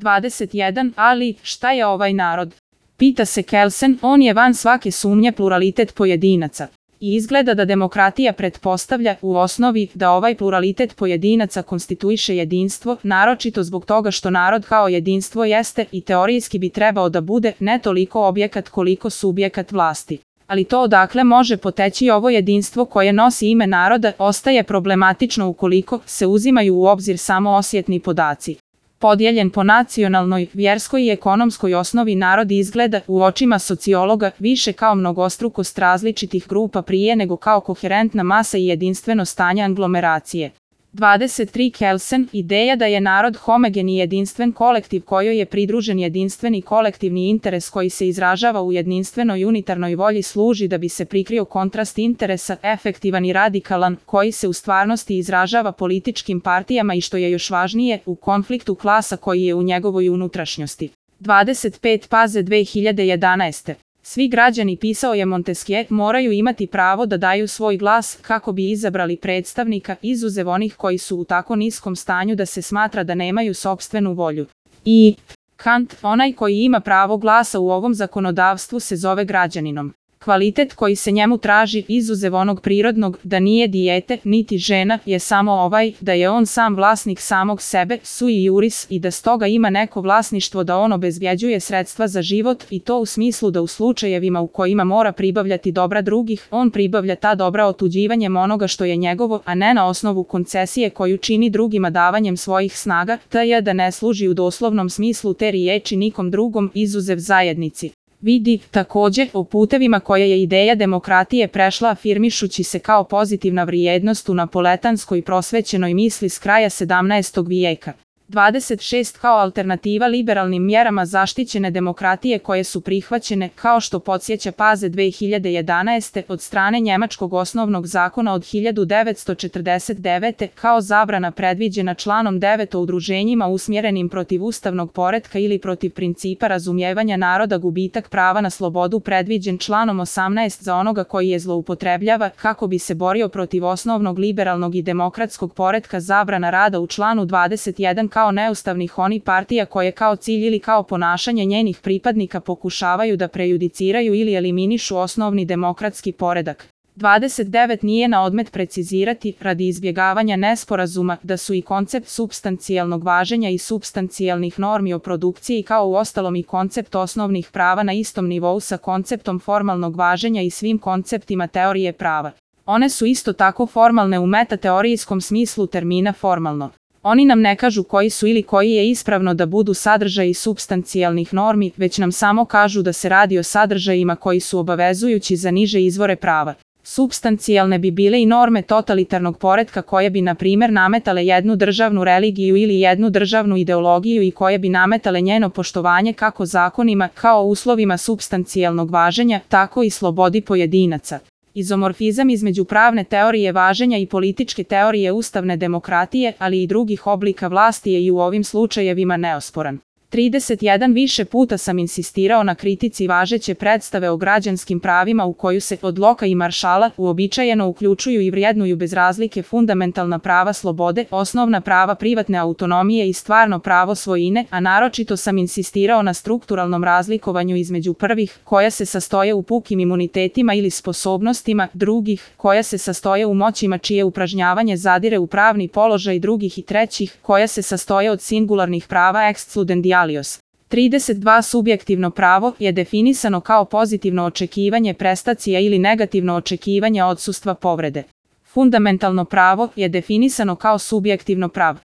21. Ali, šta je ovaj narod? Pita se Kelsen, on je van svake sumnje pluralitet pojedinaca. I izgleda da demokratija pretpostavlja, u osnovi, da ovaj pluralitet pojedinaca konstituiše jedinstvo, naročito zbog toga što narod kao jedinstvo jeste i teorijski bi trebao da bude ne toliko objekat koliko subjekat vlasti. Ali to odakle može poteći ovo jedinstvo koje nosi ime naroda ostaje problematično ukoliko se uzimaju u obzir samo osjetni podaci. Podijeljen po nacionalnoj, vjerskoj i ekonomskoj osnovi narod izgleda u očima sociologa više kao mnogostrukost različitih grupa prije nego kao koherentna masa i jedinstveno stanje aglomeracije. 23. Kelsen, ideja da je narod homogen i jedinstven kolektiv kojoj je pridružen jedinstveni kolektivni interes koji se izražava u jedinstvenoj unitarnoj volji služi da bi se prikrio kontrast interesa, efektivan i radikalan, koji se u stvarnosti izražava političkim partijama i što je još važnije, u konfliktu klasa koji je u njegovoj unutrašnjosti. 25. Paze 2011. Svi građani, pisao je Montesquieu, moraju imati pravo da daju svoj glas kako bi izabrali predstavnika, izuzev onih koji su u tako niskom stanju da se smatra da nemaju sopstvenu volju. I Kant, onaj koji ima pravo glasa u ovom zakonodavstvu se zove građaninom. Kvalitet koji se njemu traži, izuzev onog prirodnog, da nije dijete, niti žena, je samo ovaj, da je on sam vlasnik samog sebe, sui juris, i da stoga ima neko vlasništvo da on obezbjeđuje sredstva za život i to u smislu da u slučajevima u kojima mora pribavljati dobra drugih, on pribavlja ta dobra otuđivanjem onoga što je njegovo, a ne na osnovu koncesije koju čini drugima davanjem svojih snaga, t.j. da ne služi u doslovnom smislu te riječi nikom drugom, izuzev zajednici. Vidi, također, o putevima koje je ideja demokratije prešla afirmišući se kao pozitivna vrijednost u napoletanskoj prosvećenoj misli s kraja 17. vijeka. 26. Kao alternativa liberalnim mjerama zaštićene demokratije koje su prihvaćene, kao što podsjeća Paze 2011. od strane Njemačkog osnovnog zakona od 1949. kao zabrana predviđena članom 9 o udruženjima usmjerenim protiv ustavnog poretka ili protiv principa razumijevanja naroda, gubitak prava na slobodu predviđen članom 18 za onoga koji je zloupotrebljava kako bi se borio protiv osnovnog liberalnog i demokratskog poretka, zabrana rada u članu 21 kao neustavnih onih partija koje kao cilj ili kao ponašanje njenih pripadnika pokušavaju da prejudiciraju ili eliminišu osnovni demokratski poredak. 29. Nije na odmet precizirati, radi izbjegavanja nesporazuma, da su i koncept supstancijalnog važenja i supstancijalnih normi o produkciji kao uostalom i koncept osnovnih prava na istom nivou sa konceptom formalnog važenja i svim konceptima teorije prava. One su isto tako formalne u metateorijskom smislu termina formalno. Oni nam ne kažu koji su ili koji je ispravno da budu sadržaji supstancijalnih normi, već nam samo kažu da se radi o sadržajima koji su obavezujući za niže izvore prava. Supstancijalne bi bile i norme totalitarnog poretka koje bi, na primjer, nametale jednu državnu religiju ili jednu državnu ideologiju i koje bi nametale njeno poštovanje kako zakonima, kao uslovima supstancijalnog važenja, tako i slobodi pojedinaca. Izomorfizam između pravne teorije važenja i političke teorije ustavne demokratije, ali i drugih oblika vlasti je i u ovim slučajevima neosporan. 31. Više puta sam insistirao na kritici važeće predstave o građanskim pravima u koju se od Loka i Maršala uobičajeno uključuju i vrijednuju bez razlike fundamentalna prava slobode, osnovna prava privatne autonomije i stvarno pravo svojine, a naročito sam insistirao na strukturalnom razlikovanju između prvih, koja se sastoje u pukim imunitetima ili sposobnostima, drugih, koja se sastoje u moćima čije upražnjavanje zadire u pravni položaj drugih i trećih, koja se sastoje od singularnih prava excludendialios. 32. Subjektivno pravo je definisano kao pozitivno očekivanje prestacija ili negativno očekivanje odsustva povrede. Fundamentalno pravo je definisano kao subjektivno pravo.